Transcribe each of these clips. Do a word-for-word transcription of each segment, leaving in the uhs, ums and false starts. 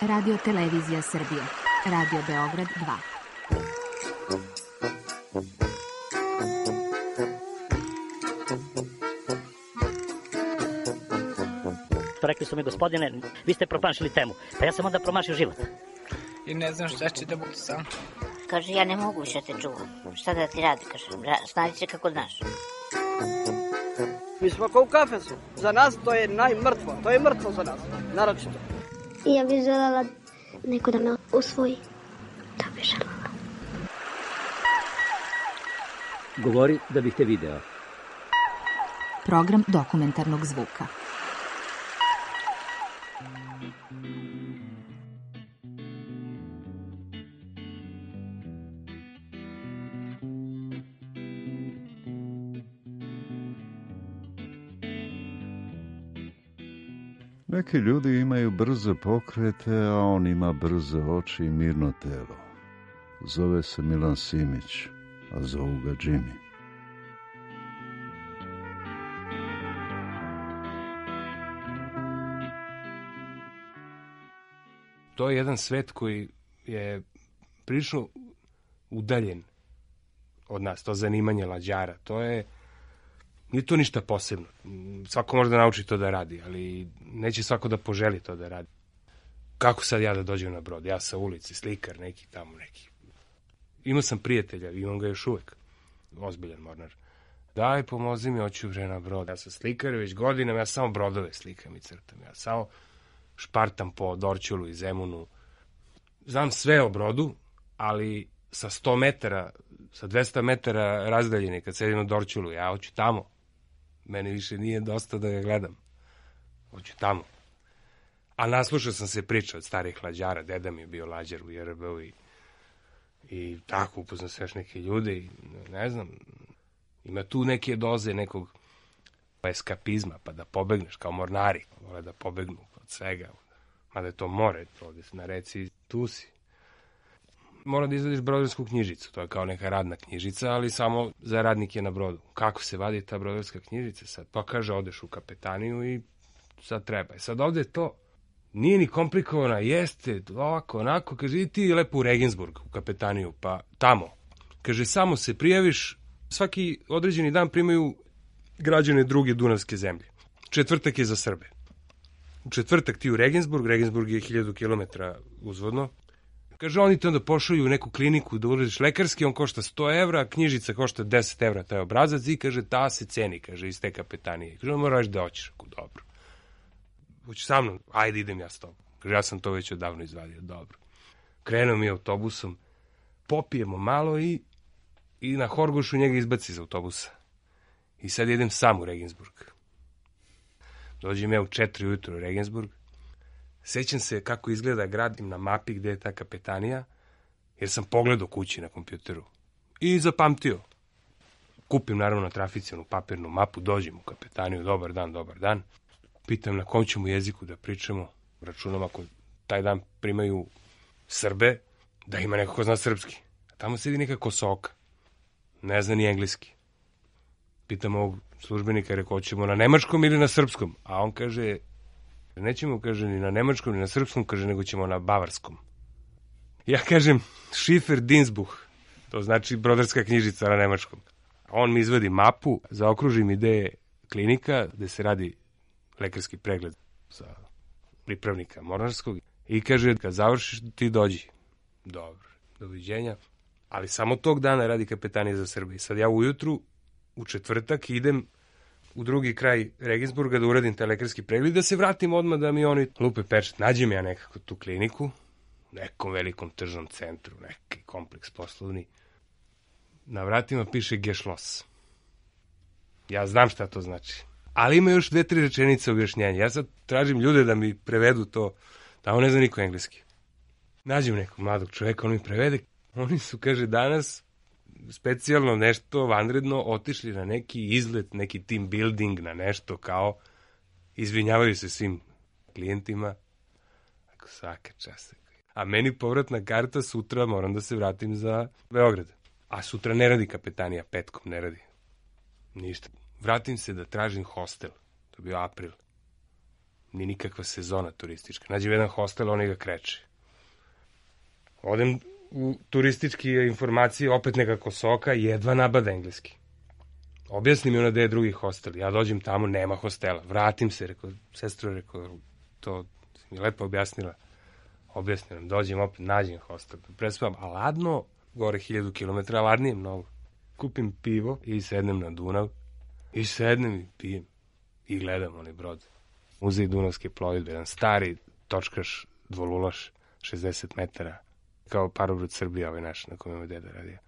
Radio Televizija Srbije. Radio Beograd dva. Rekli su mi, gospodine, vi ste promašili temu. Pa ja sam onda promašio život. I ne znam šta će da bude sam. Kaže, ja ne mogu više te čuvam. Šta da ti radi, kaže, snađi se kako znaš. Mi smo kao u kafesu. Za nas to je najmrtvo. To je mrtvo za nas, naročito. Ja bih želela neko da me usvoji. Da bih želela. Govori da bih te video. Program dokumentarnog zvuka. Neki ljudi imaju brze pokrete, a on ima brze oči i mirno telo. Zove se Milan Simić, a zovu ga Jimmy. To je jedan svet koji je prilično udaljen od nas, to zanimanje lađara. To je, nije to ništa posebno. Svako može da nauči to da radi, ali neće svako da poželi to da radi. Kako sad ja da dođem na brod? Ja sa ulici, slikar, neki tamo neki. Imao sam prijatelja, imam ga još uvek. Ozbiljan mornar. Daj, pomozi mi, hoću vre na brod. Ja sam slikar već godinama, ja samo brodove slikam i crtam. Ja samo špartam po Dorćolu i Zemunu. Znam sve o brodu, ali sa sto metara, sa dvesta metara razdaljene, kad sedim na Dorćolu, ja hoću tamo. Meni više nije dosta da ga gledam. Hoću tamo. A naslušao sam se priča od starih lađara. Deda mi je bio lađar u J R B-u i, i tako upoznam se još neke ljude i ne znam, ima tu neke doze nekog eskapizma, pa da pobegneš kao mornari. Vole da pobegnu od svega. Mada je to more, ovdje na reci, tu si. Mora da izvadiš brodarsku knjižicu, to je kao neka radna knjižica, ali samo za radnike na brodu. Kako se vadi ta brodarska knjižica sad? Pa kaže, odeš u kapetaniju i sad treba. I sad ovdje to nije ni komplikovana, jeste, ovako, onako, kaže, i ti lepo u Regensburg, u kapetaniju, pa tamo. Kaže, samo se prijaviš, svaki određeni dan primaju građane druge dunavske zemlje. Četvrtak je za Srbe. U četvrtak ti u Regensburg, Regensburg je hiljadu kilometara uzvodno. Kaže, oni te onda pošalju u neku kliniku da uradiš lekarski, on košta sto evra, knjižica košta deset evra, taj obrazac, i kaže, ta se ceni, kaže, iz te kapetanije. Kaže, moraš da hoćeš, ako dobro. Hoćeš sa mnom? Ajde, idem ja s tobom. Kaže, ja sam to već odavno izvadio, dobro. Krenuo mi autobusom, popijemo malo i, i na Horgošu njega izbaci iz autobusa. I sad idem sam u Regensburg. Dođem ja u četiri ujutru u Regensburg. Sećam se kako izgleda grad na mapi gde je ta kapetanija, jer sam pogledao kući na kompjuteru. I zapamtio. Kupim naravno na trafici onu papirnu mapu, dođem u kapetaniju, dobar dan, dobar dan. Pitam na kom ćemo jeziku da pričamo. Računam ako taj dan primaju Srbe, da ima neko ko zna srpski. A tamo sedi neka Kosoka. Ne zna ni engleski. Pitam ovog službenika, rekao, ćemo na nemačkom ili na srpskom? A on kaže, nećemo, kaže, ni na nemačkom, ni na srpskom, kaže, nego ćemo na bavarskom. Ja kažem, Schiffer Dingsbuch, to znači brodarska knjižica na nemačkom. A on mi izvadi mapu, zaokruži mi gde je klinika, gde se radi lekarski pregled za pripravnika mornarskog i kaže, kad završiš, ti dođi. Dobro, doviđenja. Ali samo tog dana radi kapetanija za Srbiju. Sad ja ujutru, u četvrtak, idem u drugi kraj Regensburga da uradim taj lekarski pregled, da se vratim odmah da mi oni lupe pečat. Nađem ja nekako tu kliniku, u nekom velikom tržnom centru, neki kompleks poslovni. Na vratima piše Geschloss. Ja znam šta to znači. Ali ima još dve, tri rečenice objašnjenja. Ja sad tražim ljude da mi prevedu to. Tamo ne zna niko engleski. Nađem nekog mladog čoveka, on mi prevede. Oni su, kaže, danas specijalno nešto vanredno otišli na neki izlet, neki team building, na nešto kao izvinjavaju se svim klijentima. Ako svaka čast. A meni povratna karta sutra, moram da se vratim za Beograd. A sutra ne radi kapetanija, petkom ne radi. Ništa. Vratim se da tražim hostel. To je bio april. ni nikakva sezona turistička. Nađem jedan hostel, oni ga kreće. Odem u turističke informacije, opet nekako soka, jedva nabada engleski. Objasni mi ona da je drugi hostel. Ja dođem tamo, nema hostela. Vratim se, rekao, sestro, rekao, to mi lepo objasnila. Objasnila, dođem opet, nađem hostel. Prespavam, a ladno, gore hiljadu kilometra, ladnije mnogo. Kupim pivo i sednem na Dunav. I sednem i pijem. I gledam onaj brod. Muzej Dunavske plovidbe, jedan stari točkaš, dvolulaš, šezdeset metara. Kao parobrod Srbija, ovaj naš, na kojem je deda radio.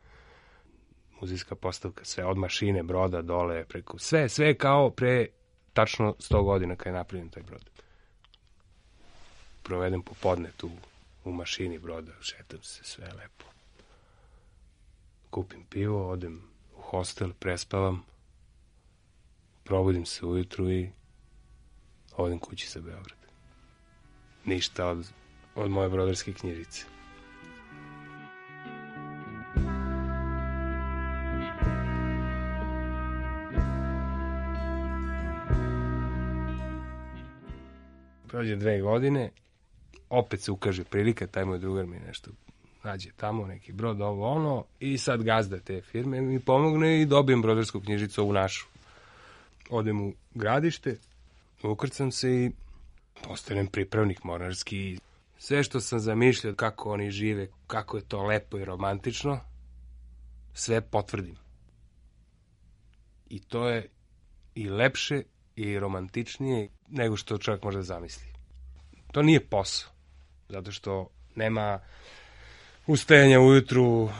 Muzejska postavka, sve od mašine, broda, dole, preko, sve, sve kao pre tačno sto godina kada je napravljen taj brod. Provedem popodne tu u mašini broda, šetam se, sve lepo. Kupim pivo, odem u hostel, prespavam, probudim se ujutru i odem kući za Beograd. Ništa od, od moje brodarske knjižice. Prođe dve godine, opet se ukaže prilika, taj moj drugar mi nešto nađe tamo, neki brod, ovo, ono, i sad gazda te firme mi pomogne i dobijem brodarsku knjižicu ovu našu. Odem u Gradište, ukrcam se i postanem pripravnik mornarski. Sve što sam zamišljao, kako oni žive, kako je to lepo i romantično, sve potvrdim. I to je i lepše i romantičnije nego što čovjek može da zamisli. To nije posao, zato što nema ustajanja ujutru,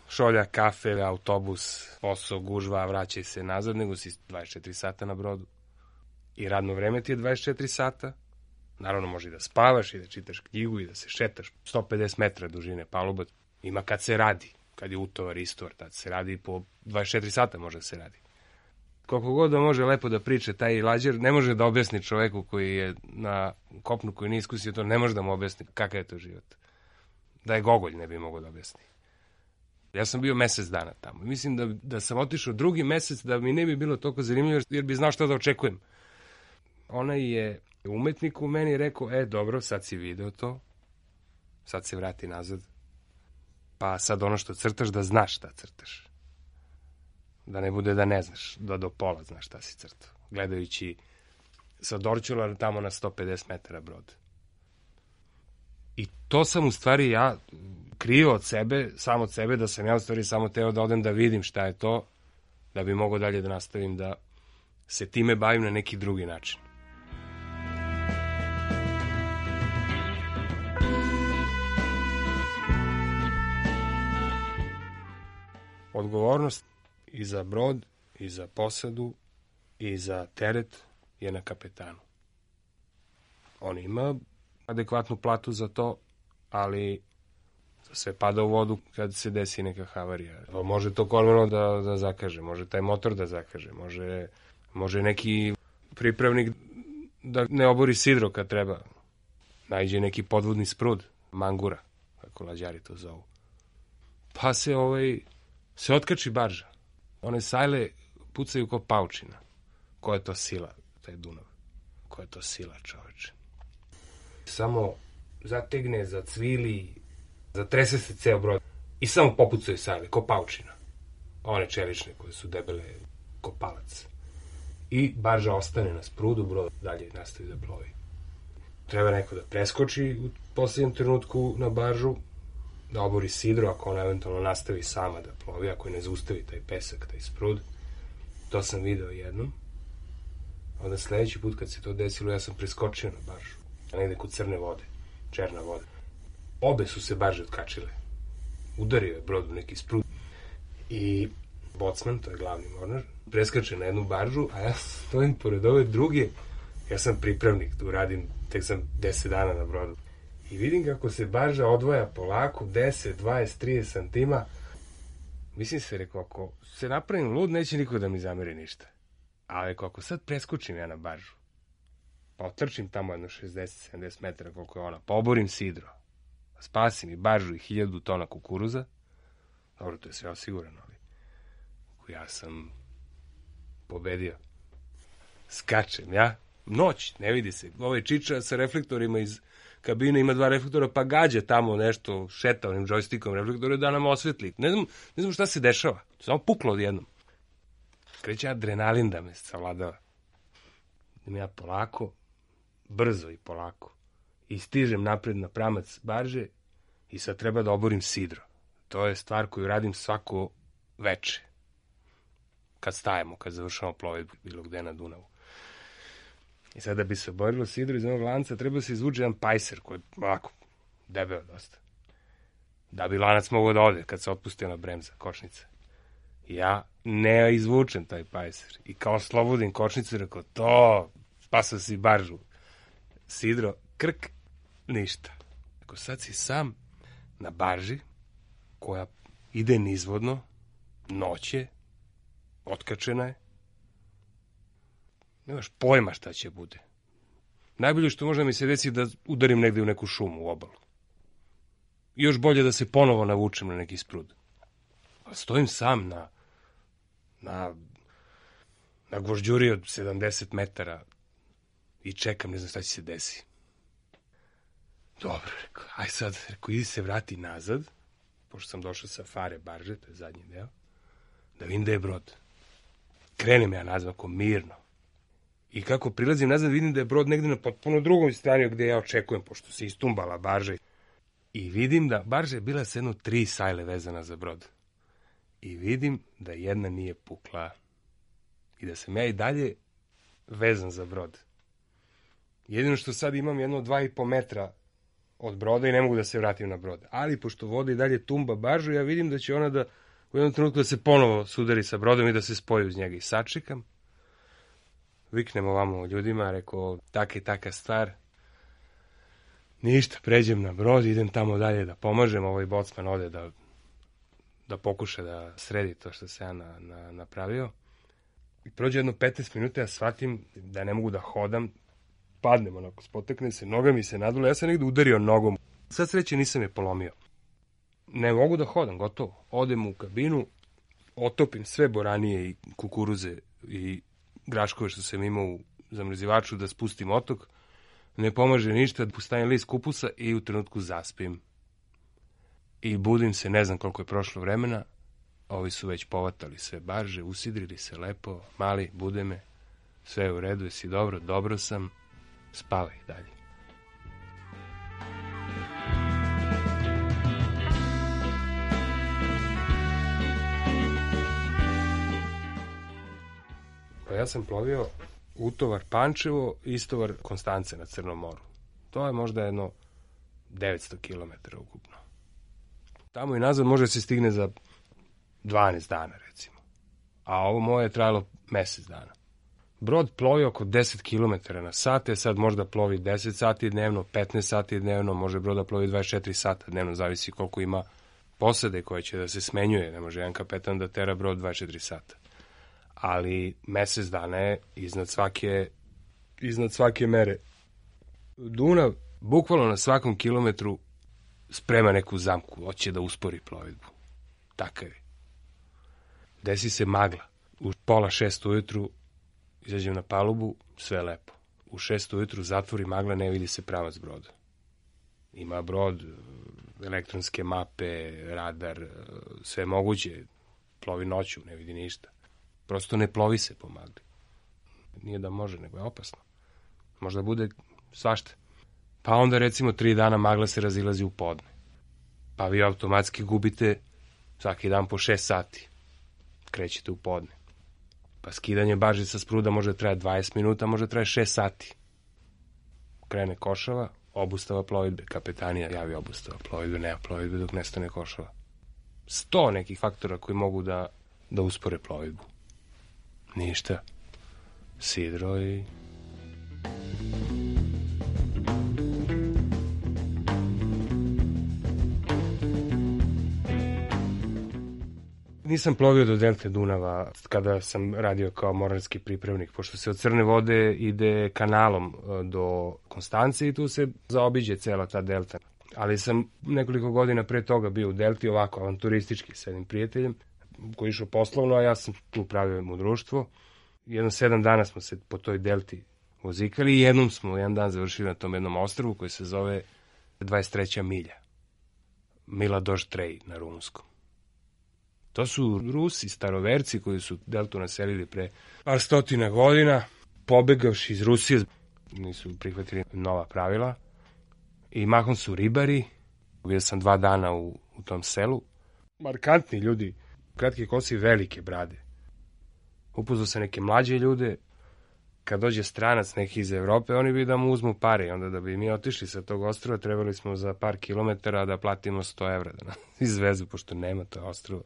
šolja, kafe, autobus, posao, gužva, vraćaj se nazad, nego si dvadeset četiri sata na brodu. I radno vreme ti je dvadeset četiri sata. Naravno, može i da spavaš i da čitaš knjigu i da se šetaš. sto pedeset metra dužine paluba. Ima kad se radi, kad je utovar, istovar, tad se radi po dvadeset četiri sata može da se radi. Koliko god da može lepo da priča taj lađer, ne može da objasni čoveku koji je na kopnu, koji nije iskusio to, ne može da mu objasni kakav je to život. Da je Gogolj ne bi mogao da objasni. Ja sam bio mesec dana tamo. Mislim da, da sam otišao drugi mesec da mi ne bi bilo toliko zanimljivo jer bi znao šta da očekujem. Ona je umetnik u meni rekao, e dobro, sad si video to, sad se vrati nazad, pa sad ono što crtaš da znaš šta crtaš. Da ne bude da ne znaš, da do pola znaš šta si crtao. Gledajući sa Dorćola tamo na sto pedeset metara brod. I to sam u stvari ja krio od sebe, samo od sebe, da sam ja u stvari samo teo da odem da vidim šta je to, da bi mogao dalje da nastavim da se time bavim na neki drugi način. Odgovornost i za brod, i za posadu, i za teret je na kapetanu. On ima adekvatnu platu za to, ali sve pada u vodu kad se desi neka havarija. Može to kormilo da, da zakaže, može taj motor da zakaže, može, može neki pripravnik da ne obori sidro kad treba. Najđe neki podvodni sprud, mangura, kako lađari to zovu. Pa se ovaj, se otkači barža. One sajle pucaju ko paučina. Koja je to sila, taj Dunav? Koja je to sila, čoveče? Samo zategne, zacvili, zatrese se ceo brod i samo popucaju sajle, ko paučina. One čelične koje su debele ko palac. I barža ostane na sprudu, brod dalje nastavi da plovi. Treba neko da preskoči u posljednjem trenutku na baržu, da obori sidro, ako ona eventualno nastavi sama da plovi, ako je ne zaustavi taj pesak, taj sprud. To sam video jednom. Onda sledeći put kad se to desilo, ja sam preskočio na baržu. Negde kod crne vode, černa voda. Obe su se barže otkačile. Udario je brod u neki sprud. I bocman, to je glavni mornar, preskače na jednu baržu, a ja stojim pored ove druge. Ja sam pripravnik, tu radim, tek sam deset dana na brodu. I vidim kako se barža odvaja polako, deset, dvadeset, trideset santima. Mislim se, rekao, ako se napravim lud, neće niko da mi zameri ništa. Ali ako sad preskočim ja na baržu, pa otrčim tamo jedno šezdeset sedamdeset metara koliko je ona, pa oborim sidro, spasim i baržu i hiljadu tona kukuruza, dobro, to je sve osigurano, ali ja sam pobedio. Skačem ja, Noć, ne vidi se. Ovaj čiča sa reflektorima iz kabine ima dva reflektora, pa gađa tamo nešto, šeta onim džojstikom reflektore da nam osvetli. Ne znam, ne znam šta se dešava. Samo puklo odjednom. Kreće adrenalin da me savladava. Idem ja polako, brzo i polako. I stižem napred na pramac barže i sad treba da oborim sidro. To je stvar koju radim svako veče. Kad stajemo, kad završamo plovidbu bilo gde na Dunavu. I sad da bi se oborilo sidro iz onog lanca, treba se izvući jedan pajser koji je ovako debeo dosta. Da bi lanac mogao da ode kad se otpusti ona bremza, kočnica. Ja ne izvučem taj pajser. I kao slobodim kočnicu, rekao, to, spasao si baržu. Sidro, krk, ništa. Rekao, sad si sam na barži koja ide nizvodno, noće, otkačena je. Nemaš pojma šta će bude. Najbolje što možda mi se desi da udarim negde u neku šumu u obalu. I još bolje da se ponovo navučem na neki sprud. A stojim sam na na na gvožđuri od sedamdeset metara i čekam, ne znam šta će se desi. Dobro, rekao, aj sad, rekao, idi se vrati nazad, pošto sam došao sa fare barže, to je zadnji deo, da vidim da je brod. Krenem ja nazad, ako mirno. I kako prilazim nazad, vidim da je brod negde na potpuno drugom strani gde ja očekujem, pošto se istumbala barža. I vidim da barža je bila sa jedno tri sajle vezana za brod. I vidim da jedna nije pukla. I da sam ja i dalje vezan za brod. Jedino što sad imam jedno dva i po metra od broda i ne mogu da se vratim na brod. Ali pošto voda i dalje tumba baržu, ja vidim da će ona da u jednom trenutku da se ponovo sudari sa brodom i da se spoji uz njega. I sačekam. Viknem ovamo ljudima, rekao, taka i taka stvar. Ništa, pređem na brod, idem tamo dalje da pomažem, ovaj bocman ode da, da pokuša da sredi to što se ja na, na, napravio. I prođe jedno petnaest minuta, ja shvatim da ne mogu da hodam, padnem onako, spoteknem se, noga mi se nadula, ja sam negde udario nogom. Sad sreće nisam je polomio. Ne mogu da hodam, gotovo. Odem u kabinu, otopim sve boranije i kukuruze i graškove što sam imao u zamrzivaču da spustim otok, ne pomaže ništa, stavim list kupusa i u trenutku zaspim. I budim se, ne znam koliko je prošlo vremena, ovi su već povatali sve barže, usidrili se lepo, mali, bude me, sve je u redu, jesi dobro, dobro sam, spavaj dalje. Pa ja sam plovio utovar Pančevo, istovar Konstance na Crnom moru. To je možda jedno devetsto kilometara ukupno. Tamo i nazad može se stigne za dvanaest dana, recimo. A ovo moje je trajalo mesec dana. Brod plovi oko deset kilometara na sat, je sad možda plovi deset sati dnevno, petnaest sati dnevno, može brod da plovi dvadeset četiri sata dnevno, zavisi koliko ima posade koje će da se smenjuje. Ne može jedan kapetan da tera brod dvadeset četiri sata. Ali mesec dana je iznad svake, iznad svake mere. Dunav bukvalno na svakom kilometru sprema neku zamku, hoće da uspori plovidbu. Takav je. Desi se magla. U pola šest ujutru izađem na palubu, sve lepo. U šest ujutru zatvori magla, ne vidi se pravac broda. Ima brod, elektronske mape, radar, sve moguće. Plovi noću, ne vidi ništa. Prosto ne plovi se po magli. Nije da može, nego je opasno. Možda bude svašta. Pa onda recimo tri dana magla se razilazi u podne. Pa vi automatski gubite svaki dan po šest sati. Krećete u podne. Pa skidanje barže sa spruda može traje dvadeset minuta, može traje šest sati. Krene košava, obustava plovidbe. Kapetanija javi obustava plovidbe, nema plovidbe dok nestane košava. Sto nekih faktora koji mogu da, da uspore plovidbu. Ništa. Sidro i... Nisam plovio do delte Dunava kada sam radio kao mornarski pripravnik, pošto se od Crne vode ide kanalom do Konstance i tu se zaobiđe cela ta delta. Ali sam nekoliko godina pre toga bio u delti ovako avanturistički s jednim prijateljem koji je išao poslovno, a ja sam tu pravio mu društvo. Jedno sedam dana smo se po toj delti vozikali i jednom smo jedan dan završili na tom jednom ostrvu koji se zove dvadeset treća milja. Mila Dož Trej na rumunskom. To su Rusi, staroverci koji su deltu naselili pre par stotina godina, pobegavši iz Rusije, nisu prihvatili nova pravila i mahom su ribari. Bio sam dva dana u, u tom selu. Markantni ljudi, kratke kose i velike brade. Upoznao sam neke mlađe ljude. Kad dođe stranac neki iz Evrope, oni bi da mu uzmu pare i onda da bi mi otišli sa tog ostrva, trebali smo za par kilometara da platimo sto evra da nas izvezu, pošto nema to ostrva.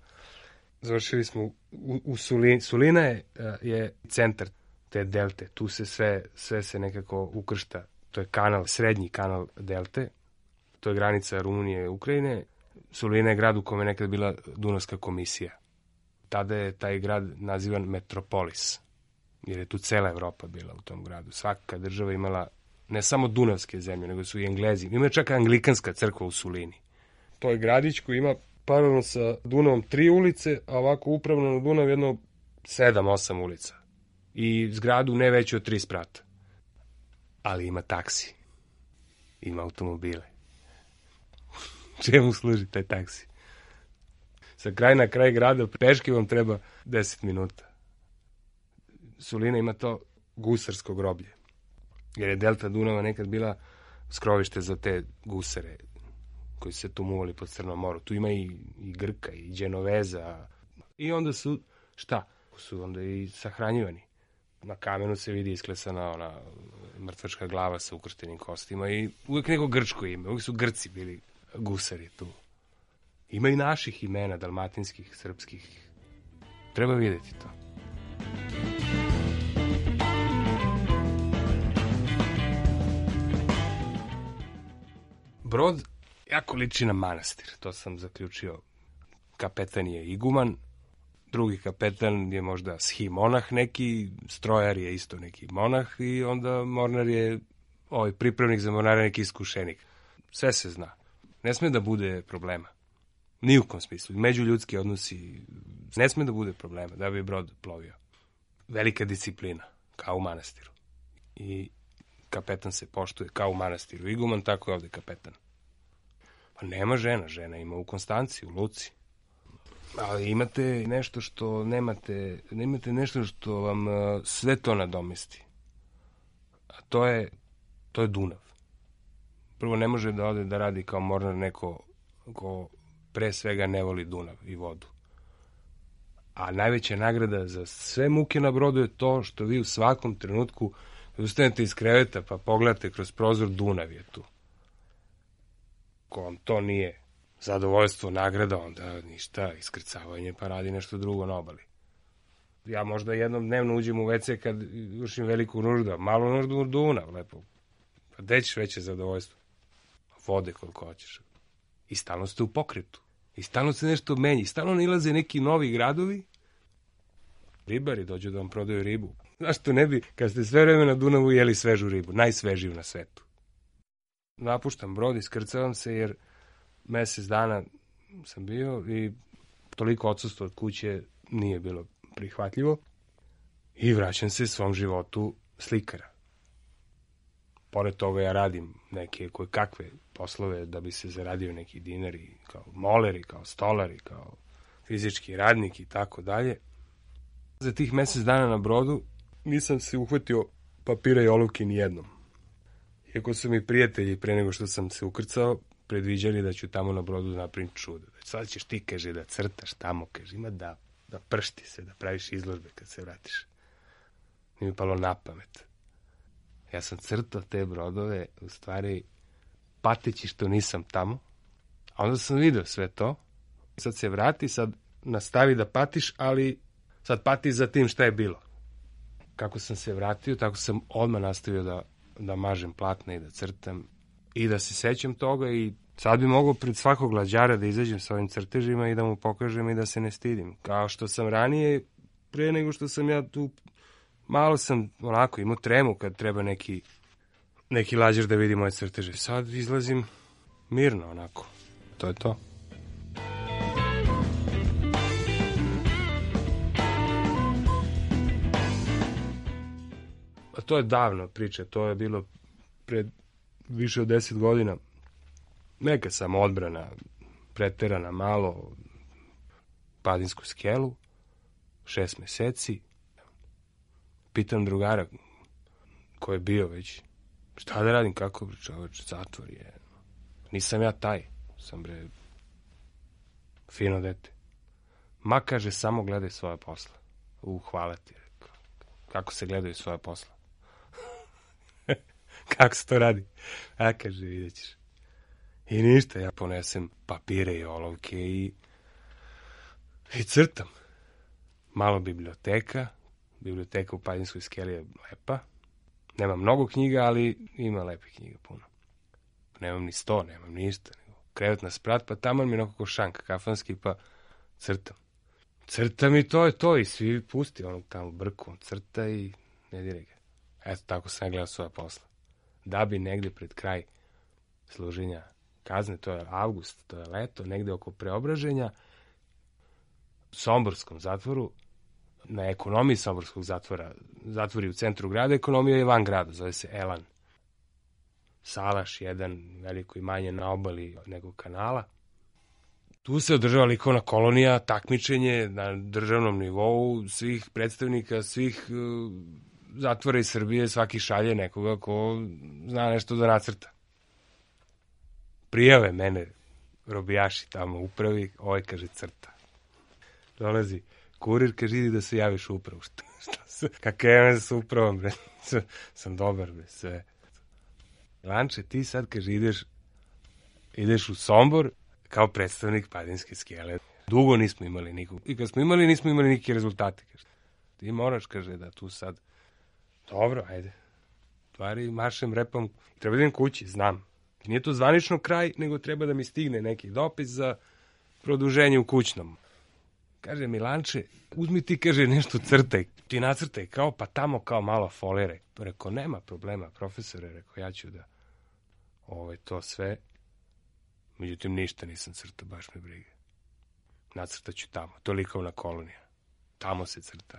Završili smo u, u Sulini. Sulina je, je centar te delte. Tu se sve, sve se nekako ukršta. To je kanal, srednji kanal delte. To je granica Rumunije i Ukrajine. Sulina je grad u kome je nekad bila Dunavska komisija. Tada je taj grad nazivan Metropolis, jer je tu cela Evropa bila u tom gradu. Svaka država imala ne samo Dunavske zemlje, nego su i Englezi. Ima čak anglikanska crkva u Sulini. To je gradić koji ima paralelno sa Dunavom tri ulice, a ovako upravno na Dunav jedno sedam, osam ulica. I zgradu ne veću od tri sprata. Ali ima taksi. Ima automobile. Čemu služi taj taksi? Sa kraj na kraj grada peške vam treba deset minuta. Sulina ima to gusarsko groblje. Jer je delta Dunava nekad bila skrovište za te gusare koji se tu muvali pod Crnom moru. Tu ima i, i Grka, i Đenoveza. I onda su, šta? Su onda i sahranjivani. Na kamenu se vidi isklesana ona mrtvačka glava sa ukrštenim kostima i uvijek neko grčko ime. Uvijek su Grci bili gusari tu. Ima i naših imena, dalmatinskih, srpskih. Treba vidjeti to. Brod jako liči na manastir, to sam zaključio. Kapetan je iguman, drugi kapetan je možda schimonah neki, strojar je isto neki monah i onda mornar je ovaj pripravnik za mornara neki iskušenik. Sve se zna. Ne sme da bude problema. Ni u kom smislu. Međuljudski odnosi ne sme da bude problema da bi brod plovio. Velika disciplina, kao u manastiru. I kapetan se poštuje kao u manastiru. Iguman, tako je ovde kapetan. Pa nema žena, žena ima u Konstanciji, u Luci. Ali imate nešto što nemate, nemate nešto što vam uh, sve to nadomesti. A to je, to je Dunav. Prvo, ne može da ode da radi kao mornar neko ko pre svega ne voli Dunav i vodu. A najveća nagrada za sve muke na brodu je to što vi u svakom trenutku ustanete iz kreveta pa pogledate kroz prozor, Dunav je tu. Ko vam to nije zadovoljstvo, nagrada, onda ništa, iskrcavanje pa radi nešto drugo na obali. Ja možda jednom dnevno uđem u ve ce kad vršim veliku nuždu, malo nuždu u Dunav, lepo. Pa gde ćeš veće zadovoljstvo? Vode koliko hoćeš. I stalno ste u pokretu. I stalno se nešto menja. I stalno nilaze neki novi gradovi. Ribari dođu da vam prodaju ribu. Zašto ne bi, kad ste sve vreme na Dunavu, jeli svežu ribu? Najsvežiju na svetu. Napuštam brod, iskrcavam se jer mesec dana sam bio i toliko odsustvo od kuće nije bilo prihvatljivo. I vraćam se svom životu slikara. Pored toga ja radim neke koje kakve poslove da bi se zaradio neki dinari, kao moleri, kao stolari, kao fizički radnik i tako dalje. Za tih mesec dana na brodu nisam se uhvatio papira i olovke ni jednom. Iako su mi prijatelji pre nego što sam se ukrcao predviđali da ću tamo na brodu napraviti čudo. Sad ćeš ti, kaže, da crtaš tamo, kaže, ima da, da pršti se, da praviš izložbe kad se vratiš. Nije mi palo na pamet. Ja sam crtao te brodove, u stvari, pateći što nisam tamo, a onda sam vidio sve to. Sad se vrati, sad nastavi da patiš, ali sad pati za tim šta je bilo. Kako sam se vratio, tako sam odmah nastavio da, da mažem platne i da crtam i da se sećam toga i sad bi mogao pred svakog glađara da izađem sa ovim crtežima i da mu pokažem i da se ne stidim. Kao što sam ranije, pre nego što sam ja tu, malo sam onako imao tremu kad treba neki, neki lađar da vidi moje crteže. Sad izlazim mirno onako. To je to. To je davno priča, to je bilo pred više od deset godina. Neka sam odbrana, preterana malo, Padinsku skelu, šest meseci. Pitam drugara ko je bio već, šta da radim, kako čoveč, zatvor je. Nisam ja taj, sam bre fino dete. Ma, kaže, samo gledaj svoje posla. U, hvala ti. Kako se gledaju svoje posla? Kako se to radi? A, kaže, vidjet ćeš. I ništa, ja ponesem papire i olovke i, i crtam. Malo biblioteka. Biblioteka u Padinskoj skeli je lepa. Nema mnogo knjiga, ali ima lepe knjiga puno. Nemam ni sto, nemam ništa. Krevet na sprat, pa tamo mi je nekako šank kafanski, pa crtam. Crtam i to je to, i svi pusti onog tamo brku, on crta i ne dire ga. Eto, tako sam ja gledao svoje posla. Da bi negde pred kraj služenja kazne, to je avgust, to je leto, negde oko Preobraženja, u Somborskom zatvoru, na ekonomiji Somborskog zatvora, zatvori u centru grada, ekonomija je van grada, zove se Elan. Salaš, jedan veliko imanje na obali nekog kanala. Tu se održava likovna kolonija, takmičenje na državnom nivou svih predstavnika, svih uh, zatvora iz Srbije, svaki šalje nekoga ko zna nešto da nacrta. Prijave mene robijaši tamo u upravi, ovaj kaže crta. Dolazi kurir, kaže idi da se javiš u upravu. Šta, šta se, kakav je sa upravom, bre? Sam dobar, bre, sve. Lanče, ti sad, kaže, ideš, ideš u Sombor kao predstavnik Padinske skele. Dugo nismo imali nikog. I kad smo imali, nismo imali neke rezultate. Kaže. Ti moraš, kaže, da tu sad... Dobro, ajde. Tvari, maršem, repom. Treba da idem kući, znam. Nije to zvanično kraj, nego treba da mi stigne neki dopis za produženje u kućnom. Kaže mi, Lanče, uzmi ti, kaže, nešto crtaj. Ti nacrtaj, kao, pa tamo kao malo folire. Rekao, nema problema, profesore, rekao, ja ću da ovo to sve. Međutim, ništa nisam crtao, baš me briga. Nacrtat ću tamo, to je likovna kolonija. Tamo se crta.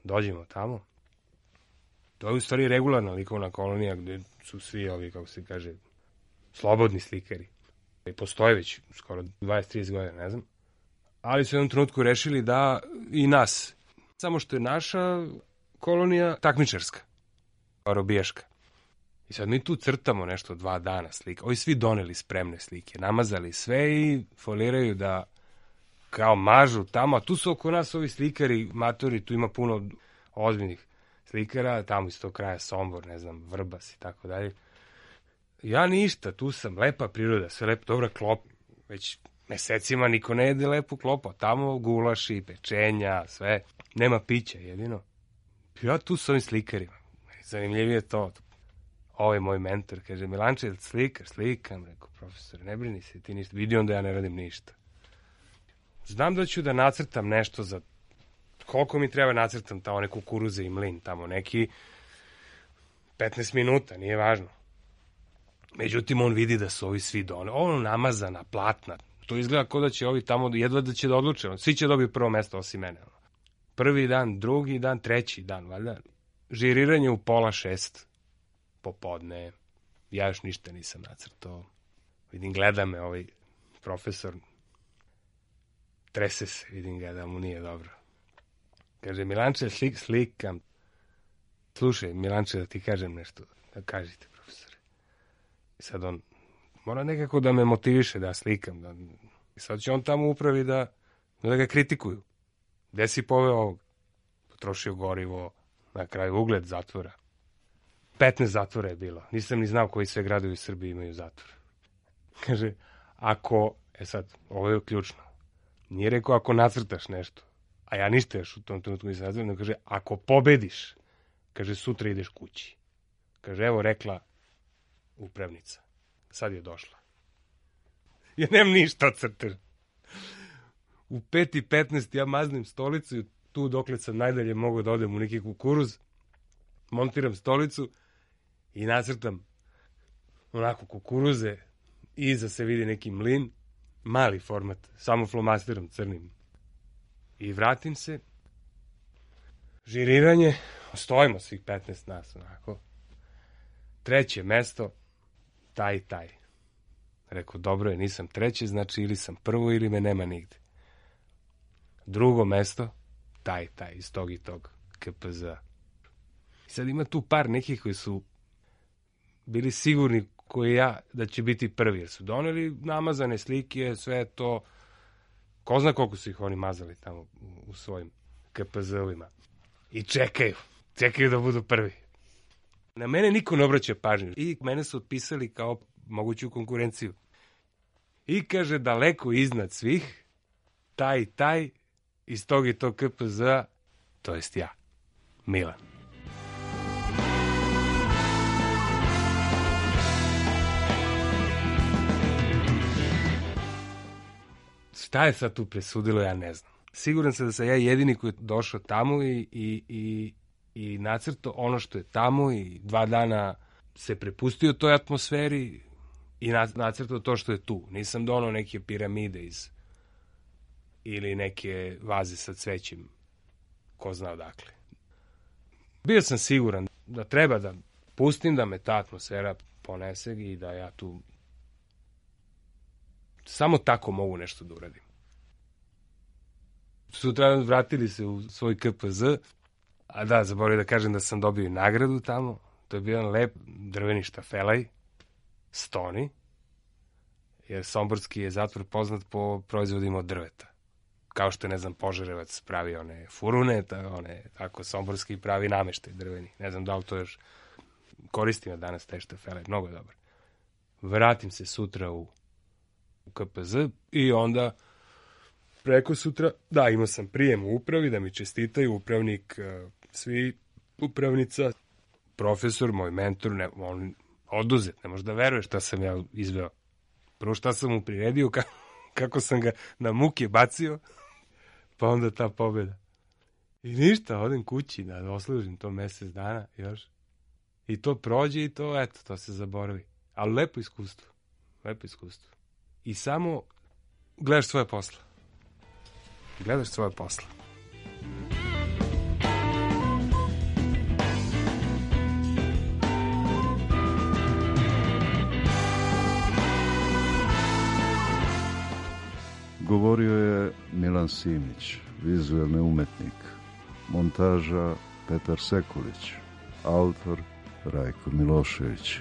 Dođemo tamo. To je u stvari regularna likovna kolonija gde su svi ovi, kako se kaže, slobodni slikari. I postoje već skoro dvadeset trideset godina, ne znam. Ali su u jednom trenutku rešili da i nas. Samo što je naša kolonija takmičarska, robijaška. I sad mi tu crtamo nešto dva dana slika. Ovi svi doneli spremne slike, namazali sve i foliraju da kao mažu tamo. A tu su oko nas ovi slikari, matori, tu ima puno ozbiljnih slikara, tamo iz tog kraja Sombor, ne znam, Vrbas i tako dalje. Ja ništa, tu sam, lepa priroda, sve lepo, dobra klop, već mesecima niko ne jede lepu klopu, tamo gulaši, pečenja, sve, nema pića jedino. Ja tu s ovim slikarima, zanimljivije to. Ovo je moj mentor, kaže, Milanče, slikaš, slikam, rekao, profesor, ne brini se, ti ništa, vidi onda ja ne radim ništa. Znam da ću da nacrtam nešto za, koliko mi treba nacrtam tamo one kukuruze i mlin, tamo neki petnaest minuta, nije važno. Međutim, on vidi da su ovi svi done, ono namazana, platna, to izgleda kao da će ovi tamo, jedva da će da odluče, svi će dobiti prvo mesto osim mene. Prvi dan, drugi dan, treći dan, valjda, žiriranje u pola šest popodne, ja još ništa nisam nacrtao. Vidim, gleda me ovaj profesor, trese se, vidim ga da mu nije dobro. Kaže, Milanče, slik, slikam. Slušaj, Milanče, da ti kažem nešto. Da kažite, profesore. I sad on mora nekako da me motiviše da slikam. Da... I sad će on tamo upravi da, da ga kritikuju. Gde si poveo ovog? Potrošio gorivo, na kraju ugled zatvora. petnaest zatvora je bilo. Nisam ni znao koji sve gradovi u Srbiji imaju zatvor. Kaže, ako, e sad, ovo je ključno. Nije rekao ako nacrtaš nešto, a ja ništa još u tom trenutku nisam nazvao, nego kaže, ako pobediš, kaže, sutra ideš kući. Kaže, evo rekla upravnica. Sad je došla. Ja nemam ništa od crtež. U pet i petnaest ja maznim stolicu i tu dokle sam najdalje mogu da odem u neki kukuruz, montiram stolicu i nacrtam onako kukuruze, iza se vidi neki mlin, mali format, samo flomasterom crnim. I vratim se, žiriranje, Stojimo svih petnaest nas, onako. Treće mesto, taj, taj. Rekao, dobro je, nisam treće, znači ili sam prvo ili me nema nigde. Drugo mesto, taj, taj, iz tog i tog K P Z. Sad ima tu par nekih koji su bili sigurni koji ja da će biti prvi, jer su doneli namazane slike, sve to, ko zna koliko su ih oni mazali tamo u, u svojim K P Z-ovima. I čekaju, čekaju da budu prvi. Na mene niko ne obraća pažnju i mene su otpisali kao moguću konkurenciju. I kaže, daleko iznad svih, taj i taj, iz tog i tog K P Z-a, to jest ja, Milan. Šta je sad tu presudilo, ja ne znam. Siguran sam da sam ja jedini koji je došao tamo i, i, i, i nacrtao ono što je tamo i dva dana se prepustio toj atmosferi i nacrtao to što je tu. Nisam donao neke piramide iz ili neke vaze sa cvećem, ko zna odakle. Bio sam siguran da treba da pustim da me ta atmosfera ponese i da ja tu samo tako mogu nešto da uradim. Sutra vratili se u svoj K P Z, a da, zaboravim da kažem da sam dobio i nagradu tamo. To je bio jedan lep drveni štafelaj, stoni, jer somborski je zatvor poznat po proizvodima od drveta. Kao što je, ne znam, Požarevac pravi one furune, ta, one, tako somborski pravi nameštaj drveni. Ne znam da li to još koristim ja danas taj štafelaj, mnogo je dobar. Vratim se sutra u u K P Z i onda preko sutra, da, imao sam prijem u upravi, da mi čestitaju upravnik, svi upravnica, profesor, moj mentor, ne, on oduzet, ne možeš da veruješ šta sam ja izveo. Prvo šta sam mu priredio, kako, kako sam ga na muke bacio, pa onda ta pobjeda. I ništa, odem kući da oslužim to mesec dana još. I to prođe i to, eto, to se zaboravi. Ali lepo iskustvo, lepo iskustvo. I samo gledaš svoje posla. Gledaš svoje posla. Govorio je Milan Simić, vizuelni umetnik. Montaža Petar Sekulić. Autor Rajko Milošević.